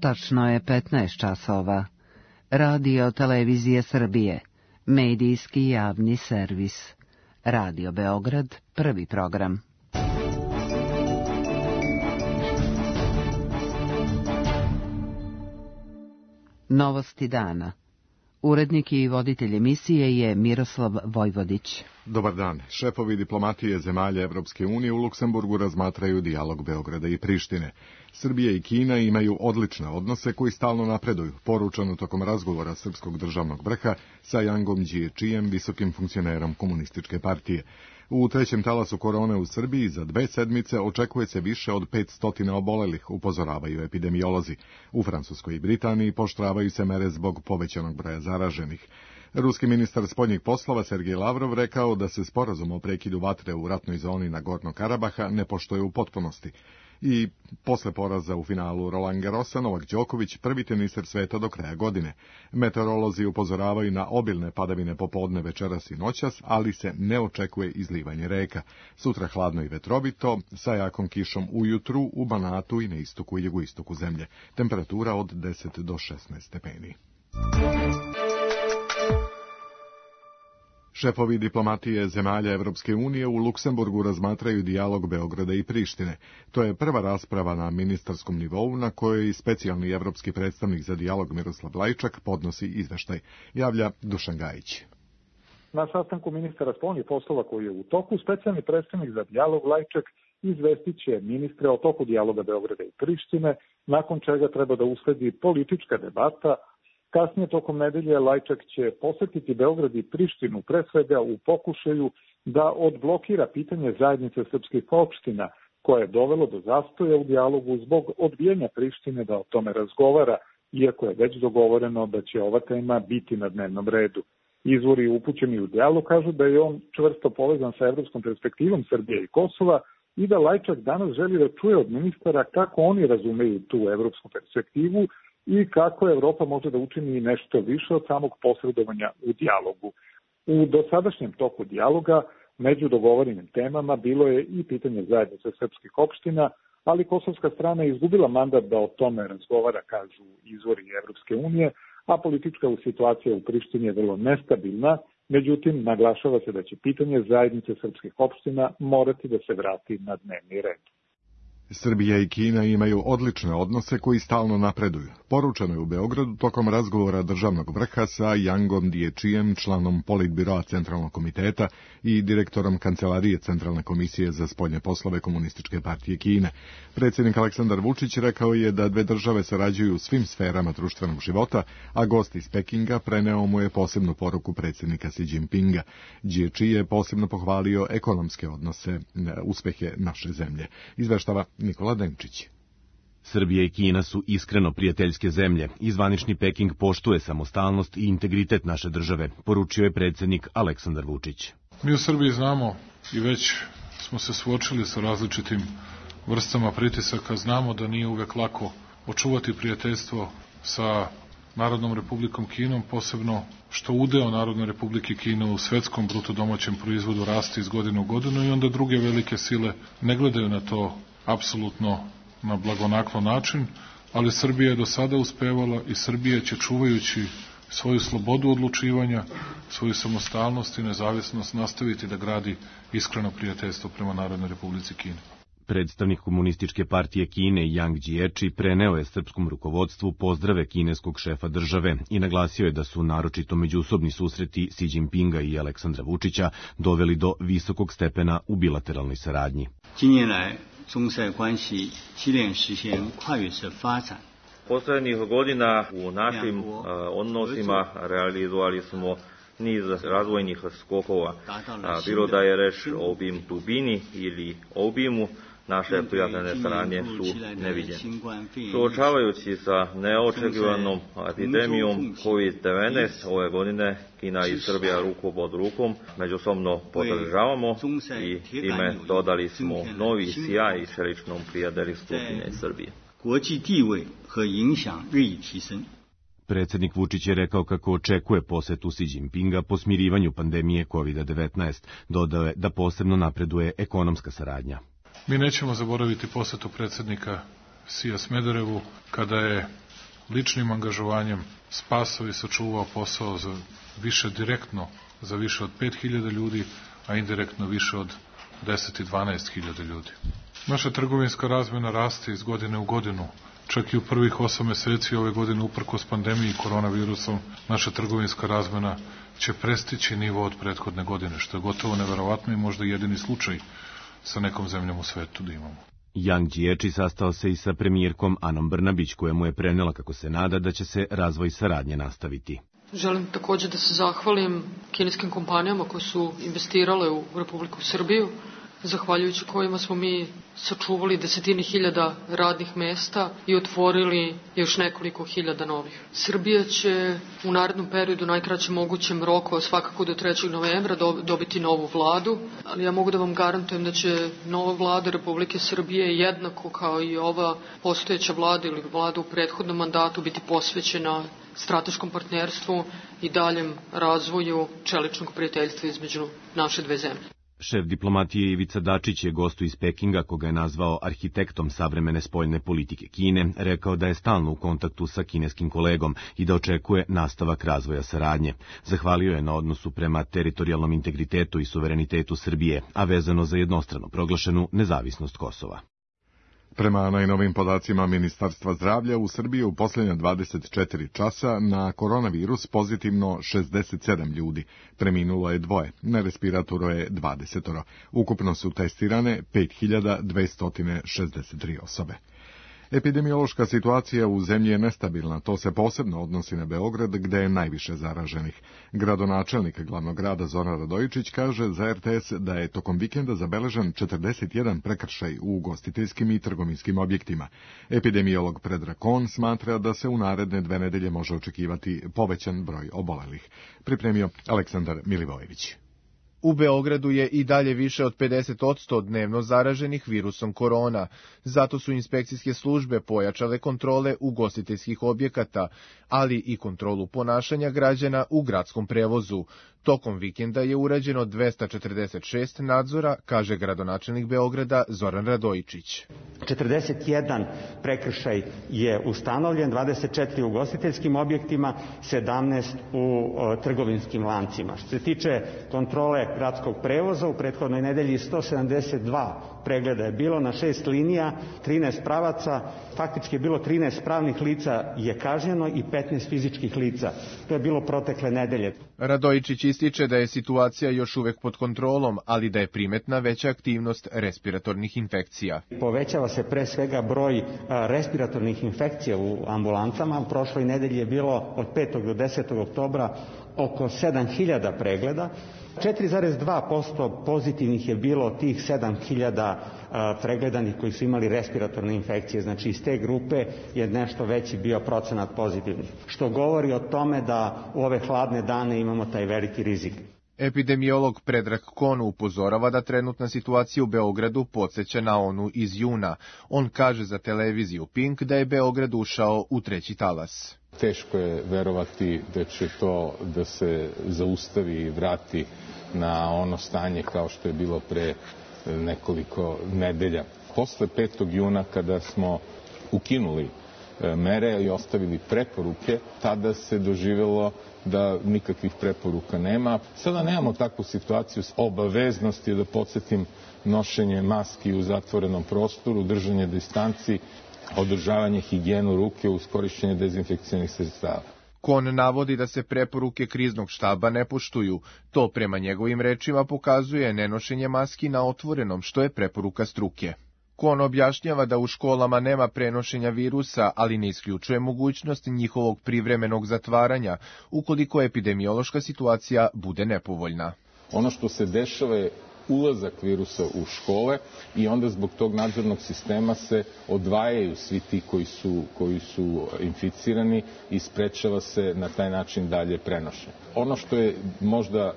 Tačno je 15 časova. Radio Televizije Srbije, medijski javni servis. Radio Beograd, prvi program. Novosti dana. Urednik i voditelj emisije je Miroslav Vojvodić. Dobar dan. Šefovi diplomatije zemalja Evropske unije u Luksemburgu razmatraju dijalog Beograda i Prištine. Srbija i Kina imaju odlične odnose koji stalno napreduju, poručeno tokom razgovora srpskog državnog vrha sa Jangom Điečijem, visokim funkcionerom komunističke partije. U trećem talasu korone u Srbiji za 2 sedmice očekuje se više od 500 obolelih, upozoravaju epidemiolozi. U Francuskoj i Britaniji pooštravaju se mere zbog povećanog broja zaraženih. Ruski ministar spoljnih poslova Sergej Lavrov rekao da se sporazum o prekidu vatre u ratnoj zoni Nagorno Karabaha ne poštuje u potpunosti. I posle poraza u finalu Roland Garrosa, Novak Đoković prvi teniser sveta do kraja godine. Meteorolozi upozoravaju na obilne padavine popodne, večeras i noćas, ali se ne očekuje izlivanje reka. Sutra hladno i vetrovito, sa jakom kišom ujutru u Banatu i na istoku i jugoistoku zemlje. Temperatura od 10 do 16 stepeni. Šefovi diplomatije zemalja Evropske unije u Luksemburgu razmatraju dijalog Beograda i Prištine. To je prva rasprava na ministarskom nivou na kojoj i specijalni evropski predstavnik za dijalog Miroslav Lajčak podnosi izveštaj. Javlja Dušan Gajić. Na sastanku ministara spoljnih poslova koji je u toku, specijalni predstavnik za dijalog Lajčak izvestit će ministre o toku dijaloga Beograda i Prištine, nakon čega treba da usledi politička debata. Kasnije tokom nedelje Lajčak će posetiti Beograd i Prištinu, pre svega u pokušaju da odblokira pitanje zajednice srpskih opština, koje je dovelo do zastoja u dijalogu zbog odbijanja Prištine da o tome razgovara, iako je već dogovoreno da će ova tema biti na dnevnom redu. Izvori upućeni u dijalog kažu da je on čvrsto povezan sa evropskom perspektivom Srbije i Kosova i da Lajčak danas želi da čuje od ministara kako oni razumeju tu evropsku perspektivu i kako Evropa može da učini nešto više od samog posredovanja u dijalogu. U dosadašnjem toku dijaloga među dogovorenim temama bilo je i pitanje zajednice srpskih opština, ali kosovska strana je izgubila mandat da o tome razgovara, kažu izvori Evropske unije, a politička situacija u Prištini je vrlo nestabilna. Međutim, naglašava se da će pitanje zajednice srpskih opština morati da se vrati na dnevni red. Srbija i Kina imaju odlične odnose koji stalno napreduju. Poručeno je u Beogradu tokom razgovora državnog vrha sa Jangom Điečijem, članom Politbiroa Centralnog komiteta i direktorom Kancelarije Centralne komisije za spoljne poslove Komunističke partije Kine. Predsjednik Aleksandar Vučić rekao je da 2 države sarađuju u svim sferama društvenog života, a gost iz Pekinga preneo mu je posebnu poruku predsjednika Xi Jinpinga. Đieči je posebno pohvalio ekonomske odnose, uspehe naše zemlje. Izveštava Nikola Denčić. Srbija i Kina su iskreno prijateljske zemlje i zvanični Peking poštuje samostalnost i integritet naše države, poručio je predsjednik Aleksandar Vučić. Mi u Srbiji znamo i već smo se suočili sa različitim vrstama pritisaka, znamo da nije uvek lako očuvati prijateljstvo sa Narodnom Republikom Kinom, posebno što udeo Narodne Republike Kine u svetskom bruto domaćem proizvodu raste iz godine u godinu i onda druge velike sile ne gledaju na to apsolutno na blagonaklon način, ali Srbija je do sada uspevala i Srbija će, čuvajući svoju slobodu odlučivanja, svoju samostalnost i nezavisnost, nastaviti da gradi iskreno prijateljstvo prema Narodnoj Republici Kine. Predstavnik Komunističke partije Kine Yang Đieči preneo je srpskom rukovodstvu pozdrave kineskog šefa države i naglasio je da su naročito međusobni susreti Xi Jinpinga i Aleksandra Vučića doveli do visokog stepena u bilateralnoj saradnji. Poslednjih godina u našim odnosima realizovali smo niz razvojnih skokova, bilo da je reč o dubini ili obimu, naše prijateljne saradnje su neviđene. Suočavajući sa neočekivanom epidemijom COVID-19 ove godine, Kina i Srbija ruku pod rukom međusobno podržavamo i time dodali smo novi sjaj čeličnom prijateljstvu Kine i Srbije. Predsjednik Vučić je rekao kako očekuje posetu Xi Jinpinga po smirivanju pandemije COVID-19. Dodao je da posebno napreduje ekonomska saradnja. Mi nećemo zaboraviti posetu predsjednika Xija Smederevu, kada je ličnim angažovanjem spasao i sačuvao posao za više direktno, za više od 5.000 ljudi, a indirektno više od 10 i 12.000 ljudi. Naša trgovinska razmena raste iz godine u godinu. Čak i u prvih 8 meseci ove godine, uprkos pandemiji koronavirusom, naša trgovinska razmena će prestići nivo od prethodne godine, što je gotovo neverovatno i možda jedini slučaj sa nekom zemljom u svetu da imamo. Yang Jiechi sastao se i sa premijerkom Anom Brnabić, koja mu je prenela kako se nada da će se razvoj saradnje nastaviti. Želim također da se zahvalim kineskim kompanijama koje su investirale u Republiku Srbiju, zahvaljujući kojima smo mi sačuvali desetine hiljada radnih mesta i otvorili još nekoliko hiljada novih. Srbija će u narednom periodu, najkraćem mogućem roku, svakako do 3. novembra, dobiti novu vladu, ali ja mogu da vam garantujem da će nova vlada Republike Srbije jednako kao i ova postojeća vlada ili vlada u prethodnom mandatu biti posvećena strateškom partnerstvu i daljem razvoju čeličnog prijateljstva između naše dve zemlje. Šef diplomatije Ivica Dačić je gostu iz Pekinga, koga je nazvao arhitektom savremene spoljne politike Kine, rekao da je stalno u kontaktu sa kineskim kolegom i da očekuje nastavak razvoja saradnje. Zahvalio je na odnosu prema teritorijalnom integritetu i suverenitetu Srbije, a vezano za jednostrano proglašenu nezavisnost Kosova. Prema najnovim podacima Ministarstva zdravlja, u Srbiji u posljednja 24 časa na koronavirus pozitivno 67 ljudi. Preminulo je 2, na respiratoru je 20. Ukupno su testirane 5263 osobe. Epidemiološka situacija u zemlji je nestabilna, to se posebno odnosi na Beograd, gde je najviše zaraženih. Gradonačelnik glavnog grada Zoran Radojičić kaže za RTS da je tokom vikenda zabeležen 41 prekršaj u ugostiteljskim i trgovinskim objektima. Epidemiolog Predrag Kon smatra da se u naredne 2 nedelje može očekivati povećan broj obolelih. Pripremio Aleksandar Milivojević. U Beogradu je i dalje više od 50% dnevno zaraženih virusom korona. Zato su inspekcijske službe pojačale kontrole ugostiteljskih objekata, ali i kontrolu ponašanja građana u gradskom prevozu. Tokom vikenda je urađeno 246 nadzora, kaže gradonačelnik Beograda Zoran Radojičić. 41 prekršaj je ustanovljen, 24 u ugostiteljskim objektima, 17 u trgovinskim lancima. Što se tiče kontrole gradskog prevoza, u prethodnoj nedelji 172 pregleda je bilo na 6 linija, 13 pravaca, faktički je bilo 13 pravnih lica je kažnjeno i 15 fizičkih lica. To je bilo protekle nedelje. Radojičić ističe da je situacija još uvek pod kontrolom, ali da je primetna veća aktivnost respiratornih infekcija. Povećava se pre svega broj respiratornih infekcija u ambulancama. U prošloj nedelji je bilo od 5. do 10. oktobra oko 7000 pregleda. 4,2% pozitivnih je bilo tih 7000 pregledanih koji su imali respiratorne infekcije. Znači iz te grupe je nešto veći bio procenat pozitivnih. Što govori o tome da u ove hladne dane imamo taj veliki rizik. Epidemiolog Predrag Kon upozorava da trenutna situacija u Beogradu podsjeća na onu iz juna. On kaže za televiziju Pink da je Beograd ušao u 3. talas. Teško je verovati da će to da se zaustavi i vrati na ono stanje kao što je bilo pre nekoliko nedelja. Posle 5. juna kada smo ukinuli mere i ostavili preporuke, tada se doživjelo da nikakvih preporuka nema. Sada nemamo takvu situaciju s obaveznosti, da podsjetim, nošenje maski u zatvorenom prostoru, držanje distanci, održavanje higijenu ruke uz korišćenje dezinfekcijnih sredstava. Kon navodi da se preporuke kriznog štaba ne poštuju. To prema njegovim rečima pokazuje nenošenje maski na otvorenom, što je preporuka struke. Kon objašnjava da u školama nema prenošenja virusa, ali ne isključuje mogućnost njihovog privremenog zatvaranja, ukoliko epidemiološka situacija bude nepovoljna. Ono što se dešava je ulazak virusa u škole i onda zbog tog nadzornog sistema se odvajaju svi ti koji su inficirani i sprečava se na taj način dalje prenošenje. Ono što je možda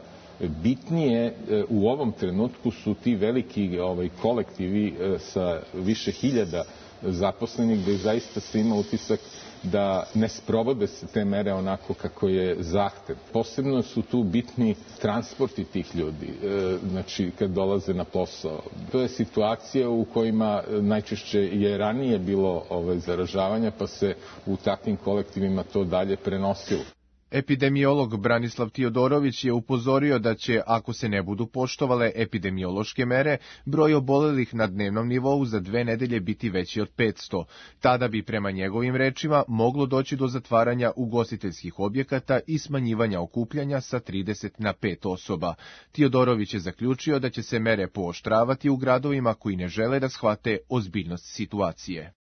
Bitnije u ovom trenutku su ti veliki kolektivi sa više hiljada zaposlenih, gde zaista se ima utisak da ne sprovode se te mere onako kako je zahtev. Posebno su tu bitni transporti tih ljudi, znači kad dolaze na posao. To je situacija u kojima najčešće je ranije bilo zaražavanja, pa se u takvim kolektivima to dalje prenosilo. Epidemiolog Branislav Tiodorović je upozorio da će, ako se ne budu poštovale epidemiološke mere, broj obolelih na dnevnom nivou za 2 nedelje biti veći od 500. Tada bi, prema njegovim rečima, moglo doći do zatvaranja ugostiteljskih objekata i smanjivanja okupljanja sa 30 na 5 osoba. Tiodorović je zaključio da će se mere pooštravati u gradovima koji ne žele da shvate ozbiljnost situacije.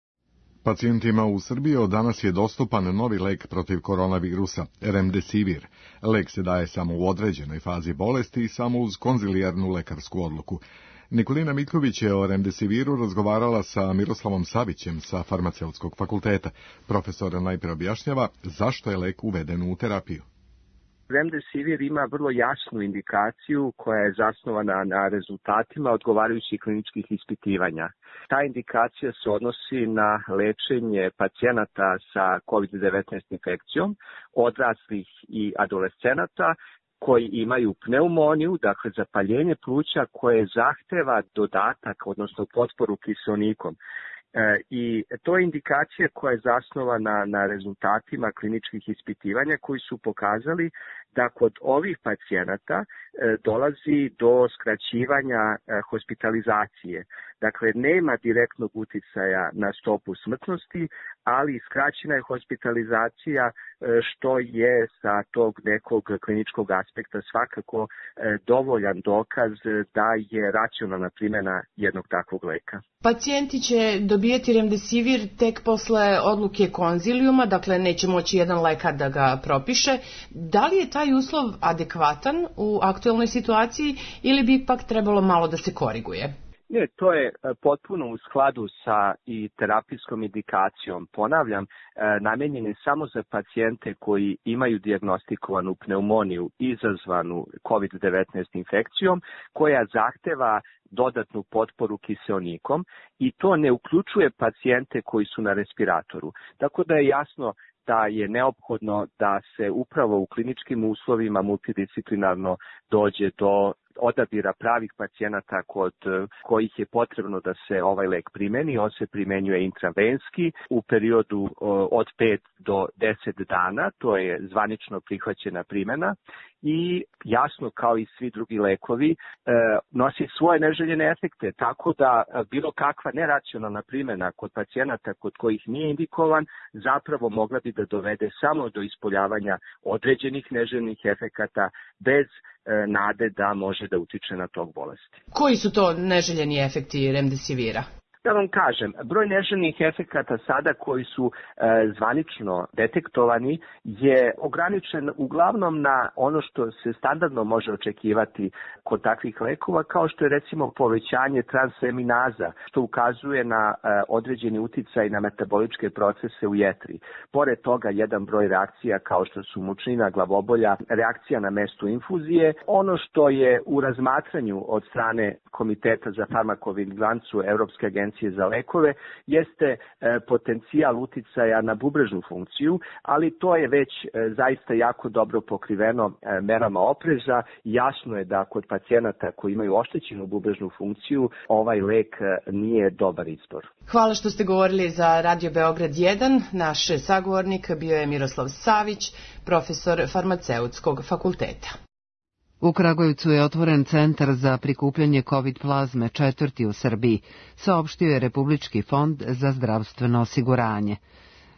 Pacijentima u Srbiji od danas je dostupan novi lek protiv koronavirusa, Remdesivir. Lek se daje samo u određenoj fazi bolesti i samo uz konzilijarnu lekarsku odluku. Nikolina Miljković je o Remdesiviru razgovarala sa Miroslavom Savićem sa Farmaceutskog fakulteta. Profesor najprije objašnjava zašto je lek uveden u terapiju. Remdesivir ima vrlo jasnu indikaciju koja je zasnovana na rezultatima odgovarajućih kliničkih ispitivanja. Ta indikacija se odnosi na lečenje pacijenata sa COVID-19 infekcijom, odraslih i adolescenata koji imaju pneumoniju, dakle zapaljenje pluća koje zahteva dodatak, odnosno potporu kiseonikom. I to je indikacija koja je zasnovana na rezultatima kliničkih ispitivanja koji su pokazali da kod ovih pacijenata dolazi do skraćivanja hospitalizacije. Dakle, nema direktnog uticaja na stopu smrtnosti, ali skraćena je hospitalizacija, što je sa tog nekog kliničkog aspekta svakako dovoljan dokaz da je racionalna primjena jednog takvog leka. Pacijenti će dobijeti Remdesivir tek posle odluke konzilijuma, dakle neće moći jedan lekar da ga propiše. Da li je taj uslov adekvatan u aktuelnoj situaciji ili bi ipak trebalo malo da se koriguje? Ne, to je potpuno u skladu sa i terapijskom indikacijom. Ponavljam, namenjen je samo za pacijente koji imaju dijagnostikovanu pneumoniju izazvanu COVID-19 infekcijom, koja zahteva dodatnu potporu kiseonikom i to ne uključuje pacijente koji su na respiratoru. Tako da je jasno da je neophodno da se upravo u kliničkim uslovima multidisciplinarno dođe do odabira pravih pacijenata kod kojih je potrebno da se ovaj lek primeni. On se primenjuje intravenski u periodu od 5 do 10 dana, to je zvanično prihvaćena primjena i jasno kao i svi drugi lekovi nosi svoje neželjene efekte, tako da bilo kakva neracionalna primjena kod pacijenata kod kojih nije indikovan zapravo mogla bi da dovede samo do ispoljavanja određenih neželjenih efekata bez nade da može da utiče na tog bolesti. Koji su to neželjeni efekti Remdesivira? Da vam kažem, broj neželjenih efekata sada koji su zvanično detektovani je ograničen uglavnom na ono što se standardno može očekivati kod takvih lekova, kao što je recimo povećanje transaminaza, što ukazuje na određeni uticaj na metaboličke procese u jetri. Pored toga, jedan broj reakcija kao što su mučnina, glavobolja, reakcija na mestu infuzije. Ono što je u razmatranju od strane Komiteta za farmakovigilancu Evropske agencije za lekove jeste potencijal uticaja na bubrežnu funkciju, ali to je već zaista jako dobro pokriveno merama opreza. Jasno je da kod pacijenata koji imaju oštećenu bubrežnu funkciju ovaj lek nije dobar izbor. Hvala što ste govorili za Radio Beograd 1. Naš sagovornik bio je Miroslav Savić, profesor Farmaceutskog fakulteta. U Kragujevcu je otvoren centar za prikupljanje COVID plazme, 4. u Srbiji, saopštio je Republički fond za zdravstveno osiguranje.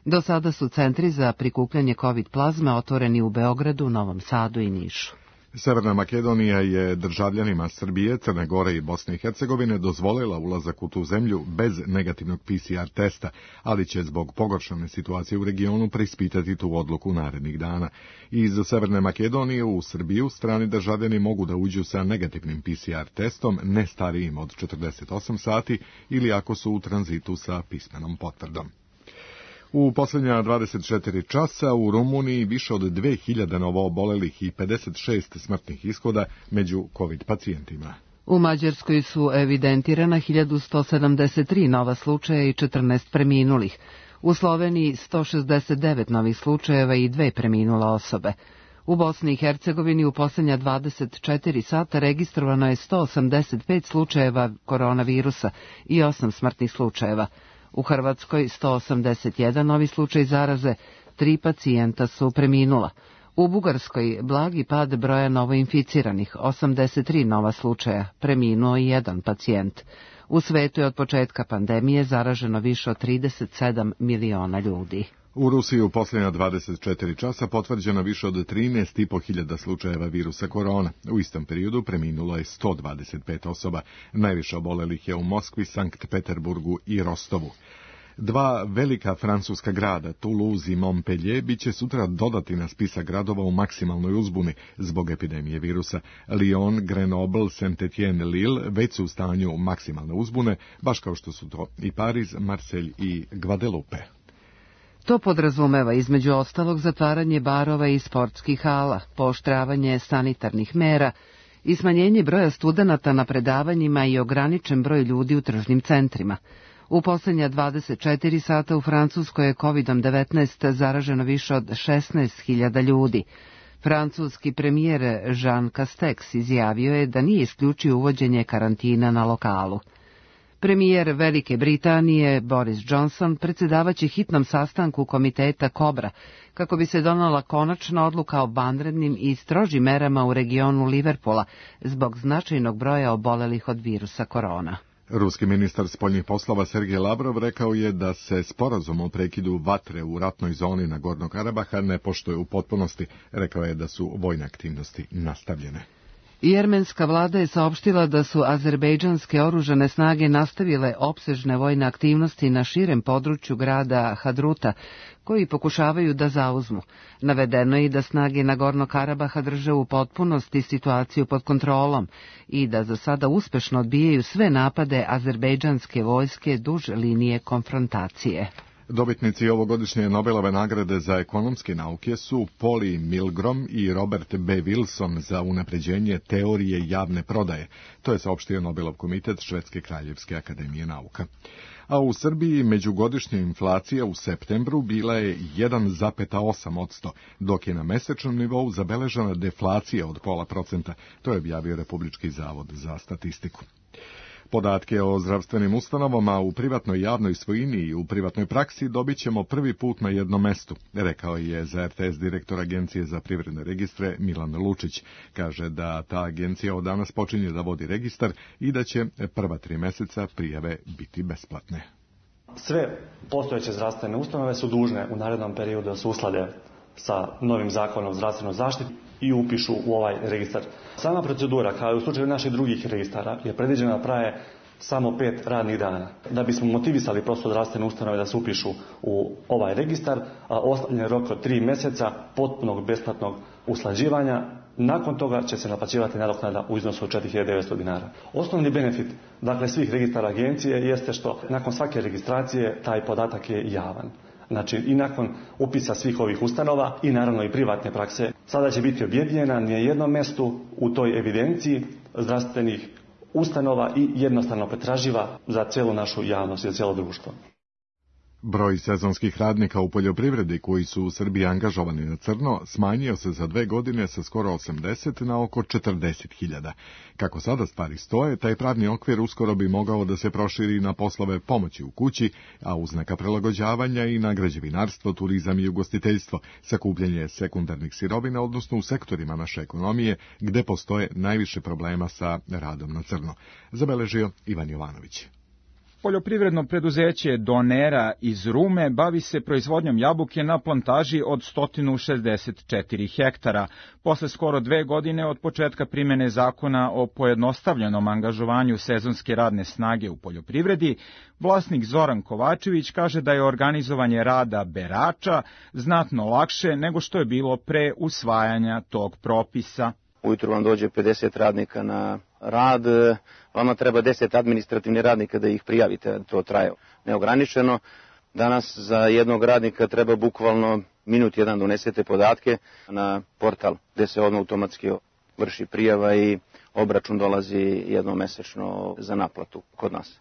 Do sada su centri za prikupljanje COVID plazme otvoreni u Beogradu, Novom Sadu i Nišu. Severna Makedonija je državljanima Srbije, Crne Gore i Bosne i Hercegovine dozvolila ulazak u tu zemlju bez negativnog PCR testa, ali će zbog pogoršane situacije u regionu preispitati tu odluku narednih dana. Iz Severne Makedonije u Srbiju strani državljani mogu da uđu sa negativnim PCR testom, ne starijim od 48 sati ili ako su u tranzitu sa pismenom potvrdom. U posljednja 24 časa u Rumuniji više od 2000 novoobolelih i 56 smrtnih ishoda među COVID pacijentima. U Mađarskoj su evidentirana 1173 nova slučaja i 14 preminulih. U Sloveniji 169 novih slučajeva i 2 preminule osobe. U Bosni i Hercegovini u posljednja 24 sata registrovano je 185 slučajeva koronavirusa i 8 smrtnih slučajeva. U Hrvatskoj 181 novi slučaj zaraze, 3 pacijenta su preminula. U Bugarskoj blagi pad broja novoinficiranih, 83 nova slučaja, preminuo i 1 pacijent. U svetu je od početka pandemije zaraženo više od 37 miliona ljudi. U Rusiji u posljednja 24 časa potvrđeno više od 13.500 slučajeva virusa korona. U istom periodu preminulo je 125 osoba. Najviše obolelih je u Moskvi, Sankt Peterburgu i Rostovu. 2 velika francuska grada, Toulouse i Montpellier, bit će sutra dodati na spisak gradova u maksimalnoj uzbuni zbog epidemije virusa. Lyon, Grenoble, Saint-Étienne, Lille već su u stanju maksimalne uzbune, baš kao što su to i Pariz, Marseille i Guadeloupe. To podrazumeva između ostalog zatvaranje barova i sportskih hala, pooštravanje sanitarnih mera i smanjenje broja studenata na predavanjima i ograničen broj ljudi u tržnim centrima. U posljednja 24 sata u Francuskoj je COVID-19 zaraženo više od 16.000 ljudi. Francuski premijer Jean Castex izjavio je da nije isključio uvođenje karantina na lokalu. Premijer Velike Britanije Boris Johnson predsjedavaće hitnom sastanku komiteta Kobra kako bi se donala konačna odluka o vanrednim i strožim merama u regionu Liverpoola zbog značajnog broja obolelih od virusa korona. Ruski ministar spoljnih poslova Sergej Lavrov rekao je da se sporazum o prekidu vatre u ratnoj zoni na Gornog Karabaha ne poštuje u potpunosti. Rekao je da su vojne aktivnosti nastavljene. Jermenska vlada je saopštila da su azerbejdžanske oružane snage nastavile opsežne vojne aktivnosti na širem području grada Hadruta, koji pokušavaju da zauzmu. Navedeno je i da snage Nagornog Karabaha drže u potpunosti situaciju pod kontrolom i da za sada uspešno odbijaju sve napade azerbejdžanske vojske duž linije konfrontacije. Dobitnici ovogodišnje Nobelove nagrade za ekonomske nauke su Polly Milgrom i Robert B. Wilson za unapređenje teorije javne prodaje. To je saopštio Nobelov komitet Švedske kraljevske akademije nauka. A u Srbiji međugodišnja inflacija u septembru bila je 1,8%, dok je na mesečnom nivou zabeležena deflacija od 0,5%. To je objavio Republički zavod za statistiku. Podatke o zdravstvenim ustanovama u privatnoj javnoj svojini i u privatnoj praksi dobit ćemo prvi put na jednom mestu, rekao je za RTS direktor Agencije za privredne registre Milan Lučić. Kaže da ta agencija od danas počinje da vodi registar i da će prva 3 meseca prijave biti besplatne. Sve postojeće zdravstvene ustanove su dužne u narednom periodu da se usklade sa novim zakonom o zdravstvenoj zaštiti i upišu u ovaj registar. Sama procedura, kao i u slučaju naših drugih registara, je predviđena da traje samo 5 radnih dana. Da bismo motivisali prosto zdravstvene ustanove da se upišu u ovaj registar, ostavljen je rok od 3 meseca potpunog besplatnog usklađivanja. Nakon toga će se naplaćivati nadoknada u iznosu od 4.900 dinara. Osnovni benefit, dakle, svih registara agencije jeste što nakon svake registracije taj podatak je javan. Znači i nakon upisa svih ovih ustanova i naravno i privatne prakse, sada će biti objedinjena na jednom mjestu u toj evidenciji zdravstvenih ustanova i jednostavno pretraživa za cijelu našu javnost i za cijelo društvo. Broj sezonskih radnika u poljoprivredi koji su u Srbiji angažovani na crno smanjio se za 2 godine sa skoro 80 na oko 40.000. Kako sada stvari stoje, taj pravni okvir uskoro bi mogao da se proširi na poslove pomoći u kući, a uz neka prilagođavanja i na građevinarstvo, turizam i ugostiteljstvo, sakupljanje sekundarnih sirovina, odnosno u sektorima naše ekonomije, gde postoje najviše problema sa radom na crno. Zabeležio Ivan Jovanović. Poljoprivredno preduzeće Donera iz Rume bavi se proizvodnjom jabuke na plantaži od 164 hektara. Posle skoro 2 godine od početka primene zakona o pojednostavljenom angažovanju sezonske radne snage u poljoprivredi, vlasnik Zoran Kovačević kaže da je organizovanje rada berača znatno lakše nego što je bilo pre usvajanja tog propisa. Ujutru vam dođe 50 radnika na rad, vama treba 10 administrativnih radnika da ih prijavite, to traje neograničeno. Danas za jednog radnika treba bukvalno minut jedan da unesete podatke na portal gde se odmah automatski vrši prijava i obračun dolazi jednomesečno za naplatu kod nas.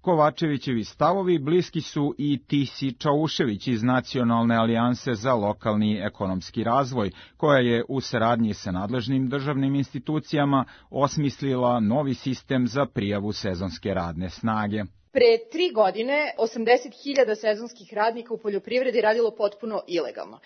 Kovačevićevi stavovi bliski su i Tisi Čaušević iz Nacionalne alijanse za lokalni ekonomski razvoj, koja je u saradnji sa nadležnim državnim institucijama osmislila novi sistem za prijavu sezonske radne snage. Pre 3 godine 80.000 sezonskih radnika u poljoprivredi radilo potpuno ilegalno.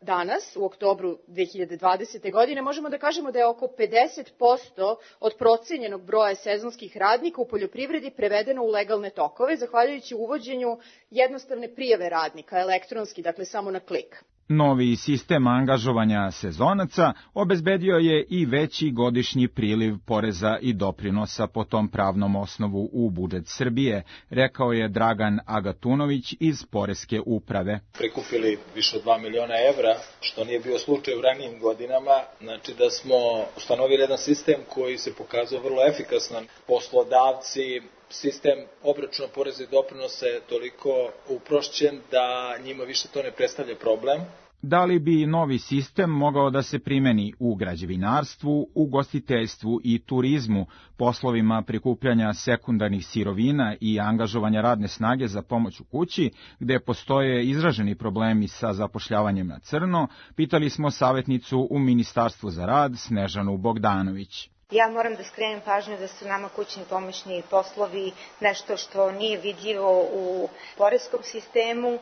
Danas, u oktobru 2020. godine, možemo da kažemo da je oko 50% od procenjenog broja sezonskih radnika u poljoprivredi prevedeno u legalne tokove, zahvaljujući uvođenju jednostavne prijave radnika, elektronski, dakle samo na klik. Novi sistem angažovanja sezonaca obezbedio je i veći godišnji priliv poreza i doprinosa po tom pravnom osnovu u budžet Srbije, rekao je Dragan Agatunović iz Poreske uprave. Prikupili više od 2 miliona evra, što nije bio slučaj u ranijim godinama, znači da smo ustanovili jedan sistem koji se pokazao vrlo efikasan. Poslodavci, sistem obračuna poreza i doprinosa je toliko uprošćen da njima više to ne predstavlja problem. Da li bi novi sistem mogao da se primeni u građevinarstvu, ugostiteljstvu i turizmu, poslovima prikupljanja sekundarnih sirovina i angažovanja radne snage za pomoć u kući, gde postoje izraženi problemi sa zapošljavanjem na crno, pitali smo savjetnicu u Ministarstvu za rad Snežanu Bogdanović. Ja moram da skrenem pažnju da su nama kućni pomoćni poslovi nešto što nije vidljivo u poreskom sistemu.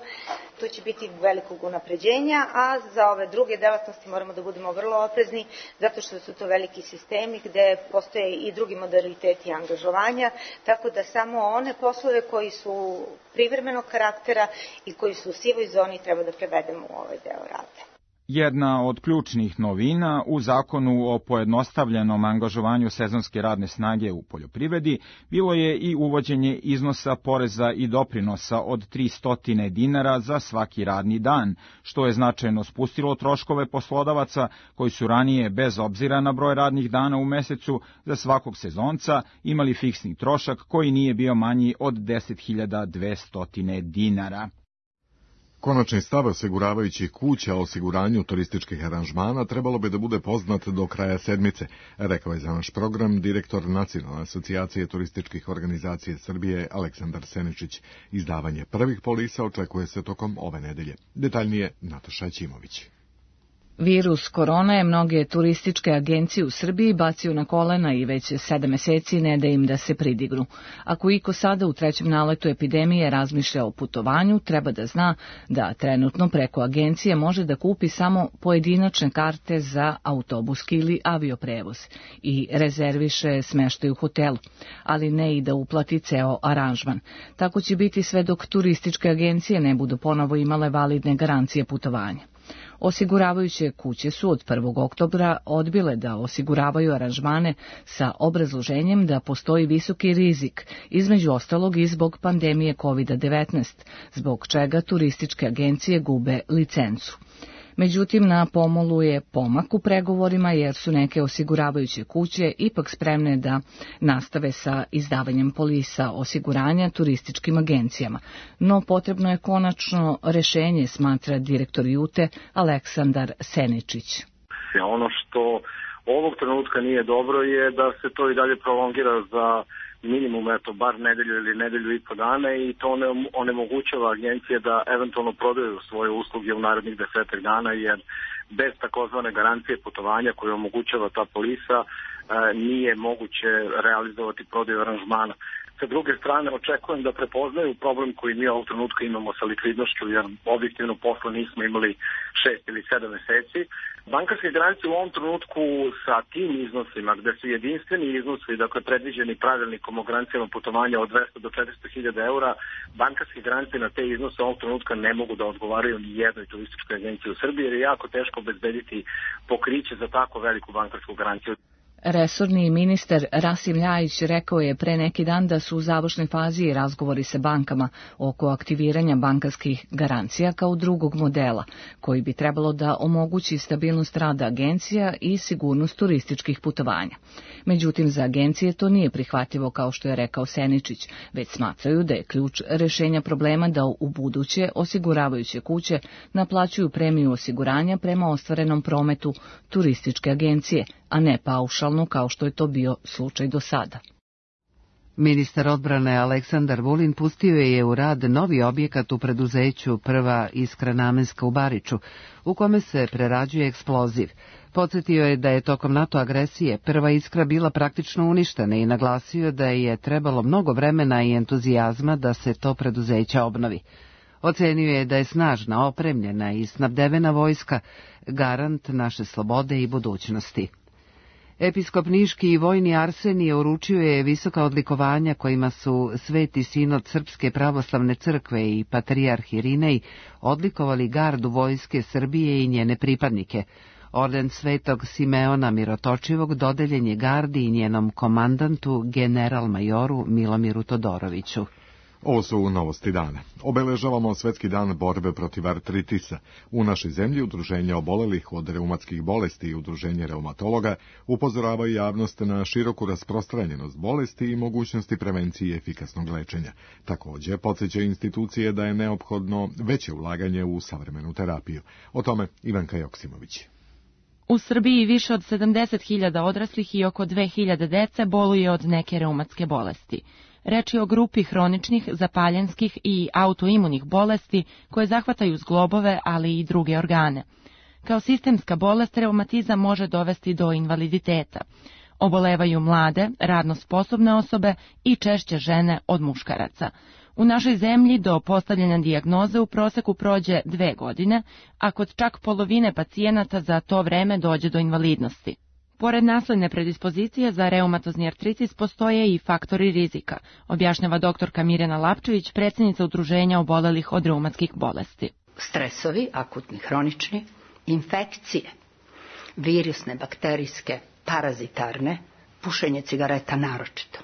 Tu će biti velikog unapređenja, a za ove druge delatnosti moramo da budemo vrlo oprezni, zato što su to veliki sistemi gde postoje i drugi modaliteti angažovanja, tako da samo one poslove koji su privremenog karaktera i koji su u sivoj zoni treba da prevedemo u ovaj deo rada. Jedna od ključnih novina u zakonu o pojednostavljenom angažovanju sezonske radne snage u poljoprivredi bilo je i uvođenje iznosa poreza i doprinosa od 300 dinara za svaki radni dan, što je značajno spustilo troškove poslodavaca koji su ranije, bez obzira na broj radnih dana u mesecu, za svakog sezonca imali fiksni trošak koji nije bio manji od 10.200 dinara. Konačni stav osiguravajućih kuća o osiguranju turističkih aranžmana trebalo bi da bude poznat do kraja sedmice, rekao je za naš program direktor Nacionalne asocijacije turističkih organizacija Srbije Aleksandar Seničić. Izdavanje prvih polisa očekuje se tokom ove nedelje. Detaljnije Nataša Ćimović. Virus korona je mnoge turističke agencije u Srbiji bacio na kolena i već 7 meseci ne da im da se pridignu. Ako iko sada u trećem naletu epidemije razmišlja o putovanju, treba da zna da trenutno preko agencije može da kupi samo pojedinačne karte za autobuski ili avioprevoz i rezerviše smeštaj u hotelu, ali ne i da uplati ceo aranžman. Tako će biti sve dok turističke agencije ne budu ponovo imale validne garancije putovanja. Osiguravajuće kuće su od 1. oktobra odbile da osiguravaju aranžmane sa obrazloženjem da postoji visoki rizik, između ostalog i zbog pandemije COVID-19, zbog čega turističke agencije gube licencu. Međutim, na pomolu je pomak u pregovorima jer su neke osiguravajuće kuće ipak spremne da nastave sa izdavanjem polisa osiguranja turističkim agencijama. No potrebno je konačno rešenje, smatra direktor Jute Aleksandar Seničić. Ono što ovog trenutka nije dobro je da se to i dalje prolongira za minimum, bar nedelju ili nedelju i po dana i to onemogućava agencije da eventualno prodaju svoje usluge u narednih 10 dana, jer bez takozvane garancije putovanja koju omogućava ta polisa nije moguće realizovati prodaju aranžmana. Sa druge strane, očekujem da prepoznaju problem koji mi ovog trenutka imamo sa likvidnošću, jer objektivno posla nismo imali 6 ili 7 meseci. Bankarske garancije u ovom trenutku sa tim iznosima, gde su jedinstveni iznosi, dakle predviđeni pravilnikom o garancijama putovanja od 200 do 400.000 eura, bankarske garancije na te iznose ovog trenutka ne mogu da odgovaraju ni jednoj turističkoj agenciji u Srbiji, jer je jako teško obezbediti pokriće za tako veliku bankarsku garanciju. Resorni ministar Rasim Ljajić rekao je pre neki dan da su u završnoj fazi razgovori sa bankama oko aktiviranja bankarskih garancija kao drugog modela, koji bi trebalo da omogući stabilnost rada agencija i sigurnost turističkih putovanja. Međutim, za agencije to nije prihvatljivo, kao što je rekao Seničić, već smatraju da je ključ rešenja problema da u buduće osiguravajuće kuće naplaćuju premiju osiguranja prema ostvarenom prometu turističke agencije, a ne paušalno kao što je to bio slučaj do sada. Ministar odbrane Aleksandar Vulin pustio je u rad novi objekat u preduzeću Prva iskra namenska u Bariču, u kome se prerađuje eksploziv. Podsjetio je da je tokom NATO agresije Prva iskra bila praktično uništena i naglasio da je trebalo mnogo vremena i entuzijazma da se to preduzeće obnovi. Ocenio je da je snažna, opremljena i snabdevena vojska garant naše slobode i budućnosti. Episkop Niški i vojni Arsenije uručio je visoka odlikovanja kojima su Sveti sinod Srpske pravoslavne crkve i patrijarh Irinej odlikovali gardu vojske Srbije i njene pripadnike. Orden Svetog Simeona Mirotočivog dodeljen je gardi i njenom komandantu general-majoru Milomiru Todoroviću. Ovo su novosti dana. Obeležavamo Svetski dan borbe protiv artritisa. U našoj zemlji udruženja obolelih od reumatskih bolesti i udruženje reumatologa upozoravaju javnost na široku rasprostranjenost bolesti i mogućnosti prevencije i efikasnog lečenja. Također, podsjećaju institucije da je neophodno veće ulaganje u savremenu terapiju. O tome Ivanka Joksimović. U Srbiji više od 70.000 odraslih i oko 2.000 dece boluje od neke reumatske bolesti. Reč je o grupi hroničnih, zapaljenskih i autoimunih bolesti koje zahvataju zglobove, ali i druge organe. Kao sistemska bolest, reumatizam može dovesti do invaliditeta. Obolevaju mlade, radno sposobne osobe i češće žene od muškaraca. U našoj zemlji do postavljanja dijagnoze u proseku prođe 2 godine, a kod čak polovine pacijenata za to vreme dođe do invalidnosti. Pored nasledne predispozicije za reumatozni artritis postoje i faktori rizika, objašnjava doktorka Mirjana Lapčević, predsjednica udruženja obolelih od reumatskih bolesti. Stresovi, akutni, hronični, infekcije, virusne, bakterijske, parazitarne, pušenje cigareta naročito.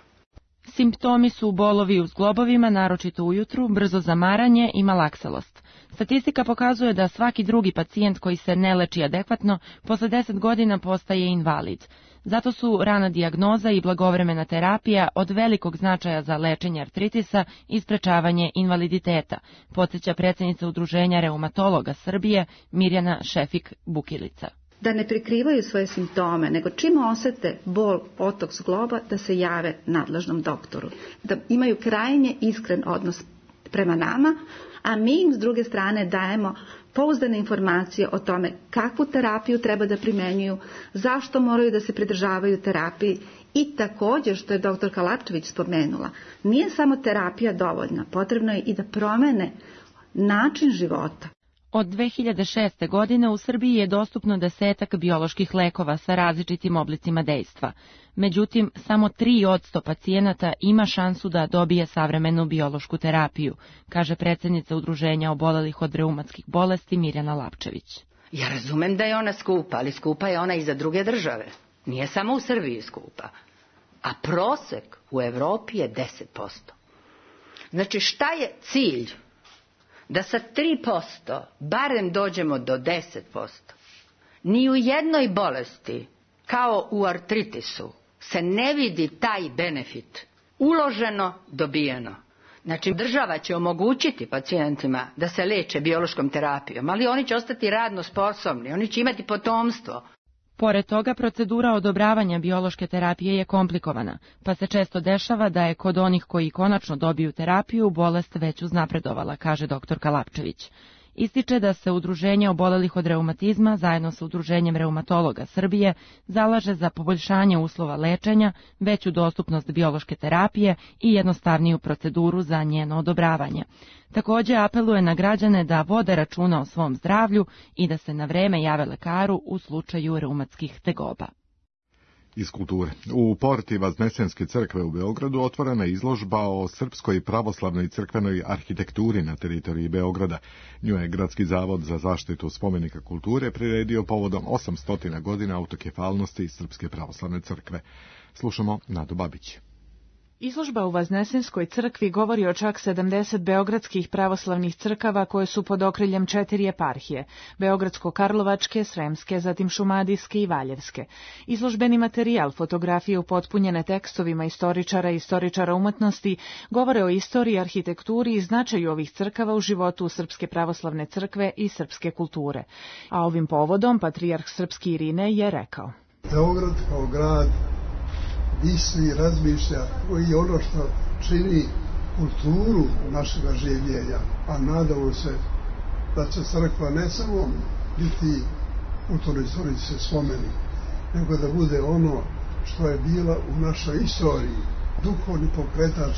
Simptomi su bolovi u zglobovima, naročito ujutru, brzo zamaranje i malakselost. Statistika pokazuje da svaki drugi pacijent koji se ne leči adekvatno posle 10 godina postaje invalid. Zato su rana dijagnoza i blagovremena terapija od velikog značaja za lečenje artritisa i sprečavanje invaliditeta, podsjeća predsjednica udruženja reumatologa Srbije Mirjana Šefik-Bukilica. Da ne prikrivaju svoje simptome, nego čim osete bol, otok zgloba, da se jave nadležnom doktoru. Da imaju krajnje iskren odnos prema nama, a mi im s druge strane dajemo pouzdane informacije o tome kakvu terapiju treba da primenjuju, zašto moraju da se pridržavaju terapiji i također, što je doktorka Lapčević spomenula, nije samo terapija dovoljna, potrebno je i da promene način života. Od 2006. godine u Srbiji je dostupno 10 bioloških lekova sa različitim oblicima dejstva. Međutim, samo 3% pacijenata ima šansu da dobije savremenu biološku terapiju, kaže predsjednica udruženja obolelih od reumatskih bolesti Mirjana Lapčević. Ja razumem da je ona skupa, ali skupa je ona i za druge države. Nije samo u Srbiji skupa. A prosek u Evropi je 10%. Znači, šta je cilj? Da sa 3% barem dođemo do 10%. Ni u jednoj bolesti, kao u artritisu, se ne vidi taj benefit. Uloženo, dobijeno. Znači, država će omogućiti pacijentima da se leče biološkom terapijom, ali oni će ostati radno sposobni, oni će imati potomstvo. Pored toga, procedura odobravanja biološke terapije je komplikovana, pa se često dešava da je kod onih koji konačno dobiju terapiju bolest već uznapredovala, kaže doktorka Lapčević. Ističe da se udruženje obolelih od reumatizma zajedno sa udruženjem reumatologa Srbije zalaže za poboljšanje uslova lečenja, veću dostupnost biološke terapije i jednostavniju proceduru za njeno odobravanje. Također apeluje na građane da vode računa o svom zdravlju i da se na vreme jave lekaru u slučaju reumatskih tegoba. Iz kulture. U porti Vaznesenske crkve u Beogradu otvorena je izložba o srpskoj pravoslavnoj crkvenoj arhitekturi na teritoriji Beograda. Nju je Gradski zavod za zaštitu spomenika kulture priredio povodom 800 godina autokefalnosti Srpske pravoslavne crkve. Slušamo Nadu Babić. Izložba u Vaznesenskoj crkvi govori o čak 70 beogradskih pravoslavnih crkava koje su pod okriljem 4 eparhije, Beogradsko-Karlovačke, Sremske, zatim Šumadijske i Valjevske. Izložbeni materijal, fotografije upotpunjene tekstovima istoričara i istoričara umetnosti, govore o istoriji, arhitekturi i značaju ovih crkava u životu Srpske pravoslavne crkve i srpske kulture. A ovim povodom patrijarh srpski Irine je rekao: Beograd kao grad misli, razmišlja i ono što čini kulturu našega življenja, a nadamo se da će crkva ne samo biti kulturno-istorijski spomenik, nego da bude ono što je bila u našoj istoriji, duhovni pokretač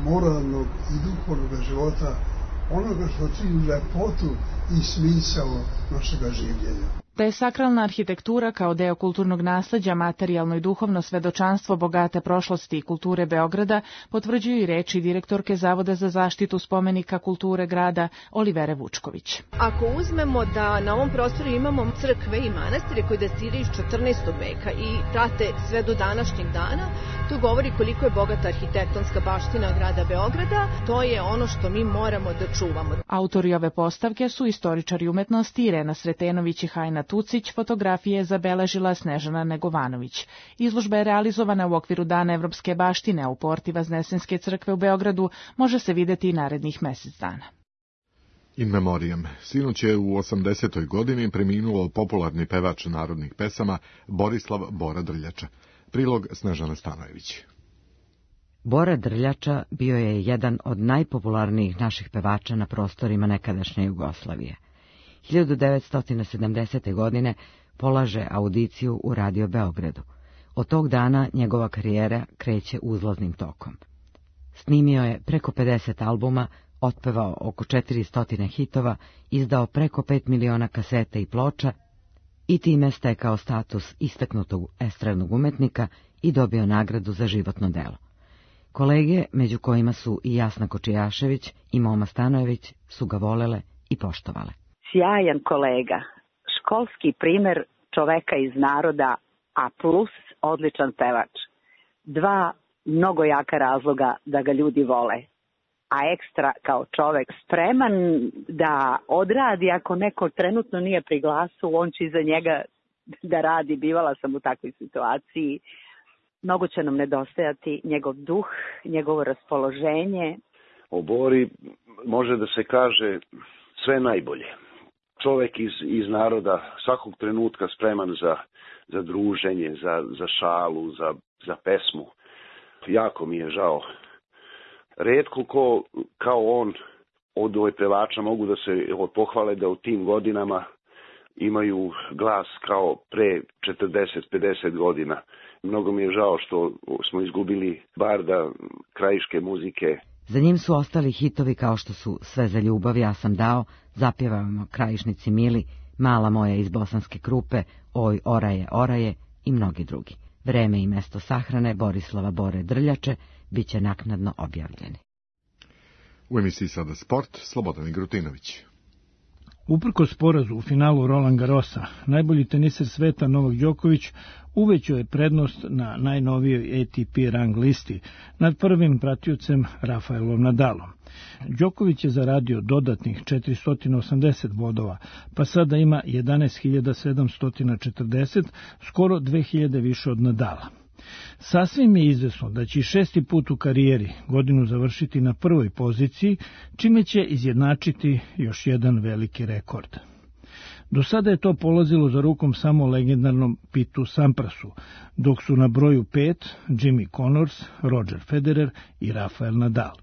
moralnog i duhovnog života, onoga što čini lepotu i smisao našega življenja. Da je sakralna arhitektura kao deo kulturnog nasleđa materijalno i duhovno svedočanstvo bogate prošlosti i kulture Beograda, potvrđuju i reči direktorke Zavoda za zaštitu spomenika kulture grada Olivere Vučković. Ako uzmemo da na ovom prostoru imamo crkve i manastire koji datiraju iz 14. veka i prate sve do današnjeg dana, to govori koliko je bogata arhitektonska baština grada Beograda. To je ono što mi moramo da čuvamo. Autori ove postavke su istoričari umetnosti Irena Sretenović i Hajna Tucić, fotografije je zabeležila Snežana Negovanović. Izložba je realizovana u okviru Dana evropske baštine, a u porti Vaznesenske crkve u Beogradu može se videti i narednih mesec dana. In memoriam. Sinoć je u 80. godini preminuo popularni pevač narodnih pesama Borislav Bora Drljača. Prilog Snežana Stanojević. Bora Drljača bio je jedan od najpopularnijih naših pevača na prostorima nekadašnje Jugoslavije. 1970. godine polaže audiciju u Radio Beogradu. Od tog dana njegova karijera kreće uzlaznim tokom. Snimio je preko 50 albuma, otpevao oko 400 hitova, izdao preko 5 miliona kaseta i ploča i time stekao status istaknutog estradnog umetnika i dobio nagradu za životno delo. Kolege, među kojima su i Jasna Kočijašević i Moma Stanojević, su ga volele i poštovale. Sjajan kolega, školski primer čoveka iz naroda, a plus odličan pevač. Dva mnogo jaka razloga da ga ljudi vole, a ekstra kao čovek spreman da odradi ako neko trenutno nije pri glasu, on će iza njega da radi. Bivala sam u takvoj situaciji. Mnogo će nam nedostajati njegov duh, njegovo raspoloženje. O Bori može da se kaže sve najbolje. Čovek iz naroda, svakog trenutka spreman za druženje, za šalu, za pesmu. Jako mi je žao. Retko ko kao on od ovih pevača mogu da se pohvale da u tim godinama imaju glas kao pre 40-50 godina. Mnogo mi je žao što smo izgubili barda krajiške muzike. Za njim su ostali hitovi kao što su Sve za ljubav, Ja sam dao, Zapjevamo krajišnici mili, Mala moja iz Bosanske Krupe, Oj, oraje, oraje i mnogi drugi. Vreme i mesto sahrane Borislava Bore Drljače bit će naknadno objavljeni. U emisiji Sada sport, Slobodan Igrutinović. Uprkos porazu u finalu Roland Garrosa, najbolji teniser sveta Novak Đoković uvećao je prednost na najnovijoj ATP rang listi nad prvim pratiocem Rafaelom Nadalom. Đoković je zaradio dodatnih 480 bodova, pa sada ima 11.740, skoro 2000 više od Nadala. Sasvim je izvesno da će 6. put u karijeri godinu završiti na prvoj poziciji, čime će izjednačiti još jedan veliki rekord. Do sada je to polazilo za rukom samo legendarnom Pitu Samprasu, dok su na broju 5 Jimmy Connors, Roger Federer i Rafael Nadal.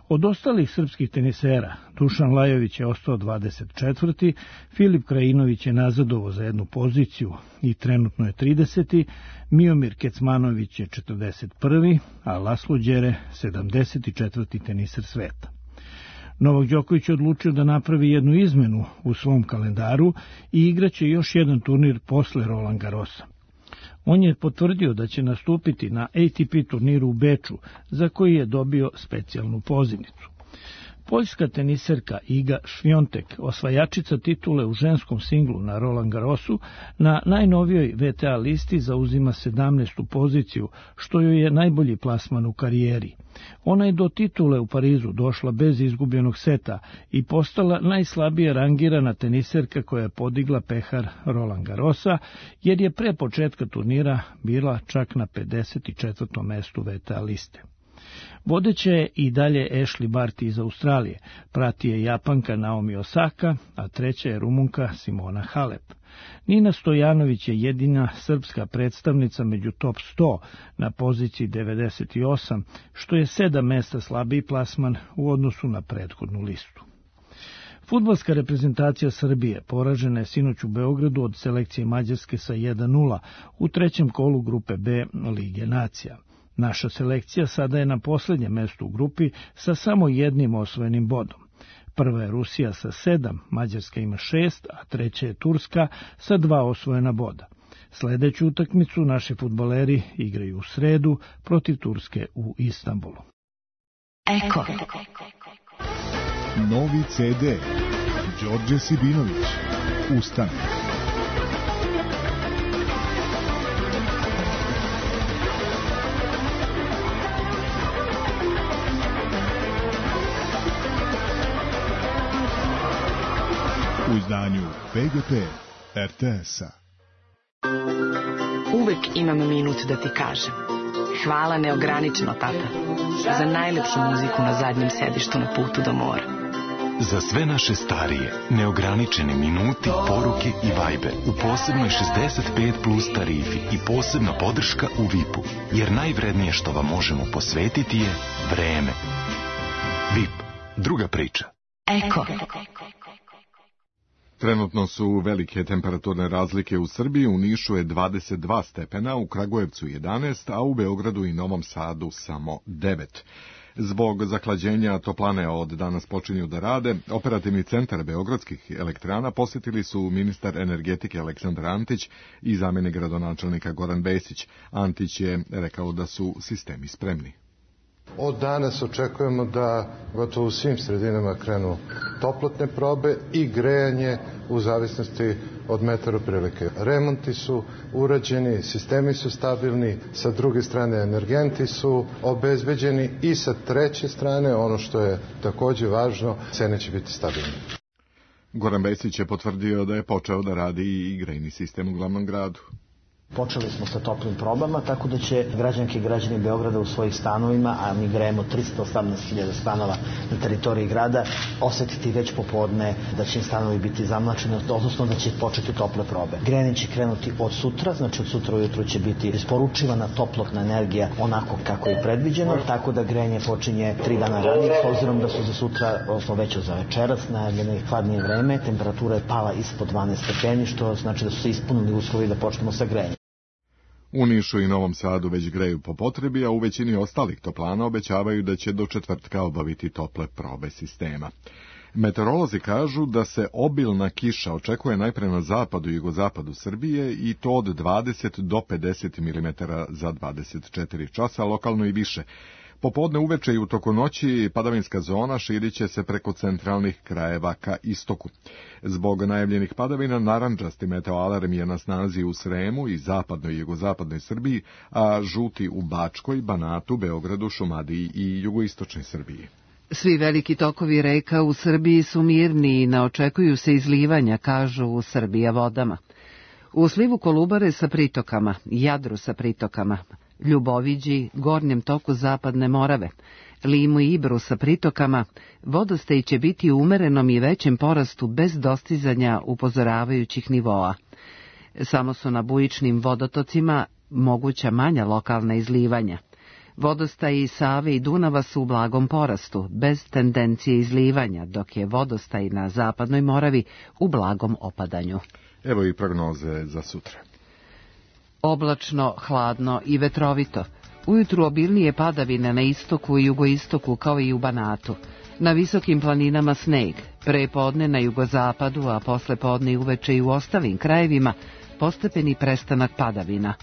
Od ostalih srpskih tenisera, Dušan Lajović je ostao 24. Filip Krajinović je nazadovo za jednu poziciju i trenutno je 30. Miomir Kecmanović je 41. a Laslo Đere 74. teniser sveta. Novak Đoković je odlučio da napravi jednu izmenu u svom kalendaru i igraće još jedan turnir posle Roland Garrosa. On je potvrdio da će nastupiti na ATP turniru u Beču, za koji je dobio specijalnu pozivnicu. Poljska teniserka Iga Šviontek, osvajačica titule u ženskom singlu na Roland Garrosu, na najnovijoj WTA listi zauzima 17. poziciju, što joj je najbolji plasman u karijeri. Ona je do titule u Parizu došla bez izgubljenog seta i postala najslabije rangirana teniserka koja je podigla pehar Roland Garrosa, jer je pre početka turnira bila čak na 54. mestu WTA liste. Vodeća je i dalje Ashley Barty iz Australije, prati je Japanka Naomi Osaka, a treća je Rumunka Simona Halep. Nina Stojanović je jedina srpska predstavnica među top 100 na poziciji 98, što je 7 mesta slabiji plasman u odnosu na prethodnu listu. Fudbalska reprezentacija Srbije poražena je sinoć u Beogradu od selekcije Mađarske sa 1:0 u trećem kolu grupe B Lige nacija. Naša selekcija sada je na posljednjem mestu u grupi sa samo jednim osvojenim bodom. Prva je Rusija sa 7, Mađarska ima 6, a treća je Turska sa 2 osvojena boda. Sljedeću utakmicu naši fudbaleri igraju u sredu protiv Turske u Istanbulu. Eko. Novi CD. Đorđe Sibinović. Ustane. U izdanju PGP RTS-a. Uvek imam minut da ti kažem. Hvala neograničeno, tata, za najlepšu muziku na zadnjem sedištu na putu do mora. Za sve naše starije, neograničeni minuti, poruke i vajbe u posebnoj 65 plus tarifi i posebna podrška u VIP-u, jer najvrednije što vam možemo posvetiti je vreme. VIP, druga priča. Eko. Trenutno su velike temperaturne razlike u Srbiji, u Nišu je 22 stepena, u Kragujevcu 11, a u Beogradu i Novom Sadu samo 9. Zbog zahlađenja toplane od danas počinju da rade, operativni centar beogradskih elektrana posjetili su ministar energetike Aleksandar Antić i zamjenik gradonačelnika Goran Vesić. Antić je rekao da su sistemi spremni. Od danas očekujemo da gotovo u svim sredinama krenu toplotne probe i grejanje u zavisnosti od meteoprilike. Remonti su urađeni, sistemi su stabilni, sa druge strane energenti su obezbeđeni i sa treće strane, ono što je također važno, cene će biti stabilne. Goran Vesić je potvrdio da je počeo da radi i grejni sistem u glavnom gradu. Počeli smo sa toplim probama, tako da će građanke i građani Beograda u svojih stanovima, a mi grejemo 318.000 stanova na teritoriji grada, osjetiti već popodne da će im stanovi biti zamlačeni, odnosno da će početi tople probe. Grejanje će krenuti od sutra, znači od sutra ujutru će biti isporučivana toplotna energija onako kako je predviđeno, tako da grejanje počinje 3 dana ranije, s obzirom da su za sutra, odnosno već za večeras, najavljeno hladnije vreme, temperatura je pala ispod 12 stepeni, što znači da su se ispunili uslovi da počnemo sa grejanjem. U Nišu i Novom Sadu već greju po potrebi, a u većini ostalih toplana obećavaju da će do četvrtka obaviti tople probe sistema. Meteorolozi kažu da se obilna kiša očekuje najpre na zapadu i jugozapadu Srbije i to od 20 do 50 mm za 24 časa, lokalno i više. Popodne uveče i u toku noći padavinska zona širit će se preko centralnih krajeva ka istoku. Zbog najavljenih padavina narandžasti meteoalarm je na snazi u Sremu i zapadnoj i jugozapadnoj Srbiji, a žuti u Bačkoj, Banatu, Beogradu, Šumadiji i jugoistočnoj Srbiji. Svi veliki tokovi reka u Srbiji su mirni i ne očekuju se izlivanja, kažu u Srbija vodama. U slivu Kolubare sa pritokama, Jadru sa pritokama, Ljuboviđi, gornjem toku Zapadne Morave, Limu i Ibru sa pritokama, vodostaj će biti u umerenom i većem porastu bez dostizanja upozoravajućih nivoa. Samo su na bujičnim vodotocima moguća manja lokalna izlivanja. Vodostaji Save i Dunava su u blagom porastu, bez tendencije izlivanja, dok je vodostaj na Zapadnoj Moravi u blagom opadanju. Evo i prognoze za sutra. Oblačno, hladno i vetrovito. Ujutru obilnije padavine na istoku i jugoistoku kao i u Banatu. Na visokim planinama sneg, pre podne na jugozapadu, a posle podne i uveče i u ostalim krajevima postepeni prestanak padavina.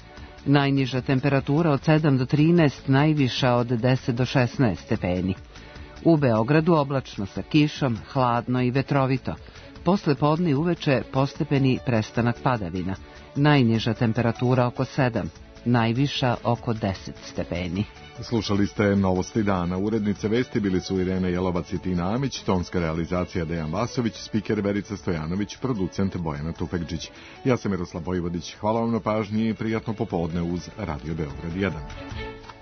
Najniža temperatura od 7 do 13, najviša od 10 do 16 stepeni. U Beogradu oblačno sa kišom, hladno i vetrovito. Posle podne i uveče postepeni prestanak padavina. Najniža temperatura oko 7, najviša oko 10 stepeni. Slušali ste Novosti dana. Urednice vesti bili su Irena Jelovac i Tina Amić, tonska realizacija Dejan Vasović, spiker Verica Stojanović, producent Bojana Tufekđić. Ja sam Miroslav Vojvodić. Hvala vam na pažnji i prijatno popodne uz Radio Beograd 1.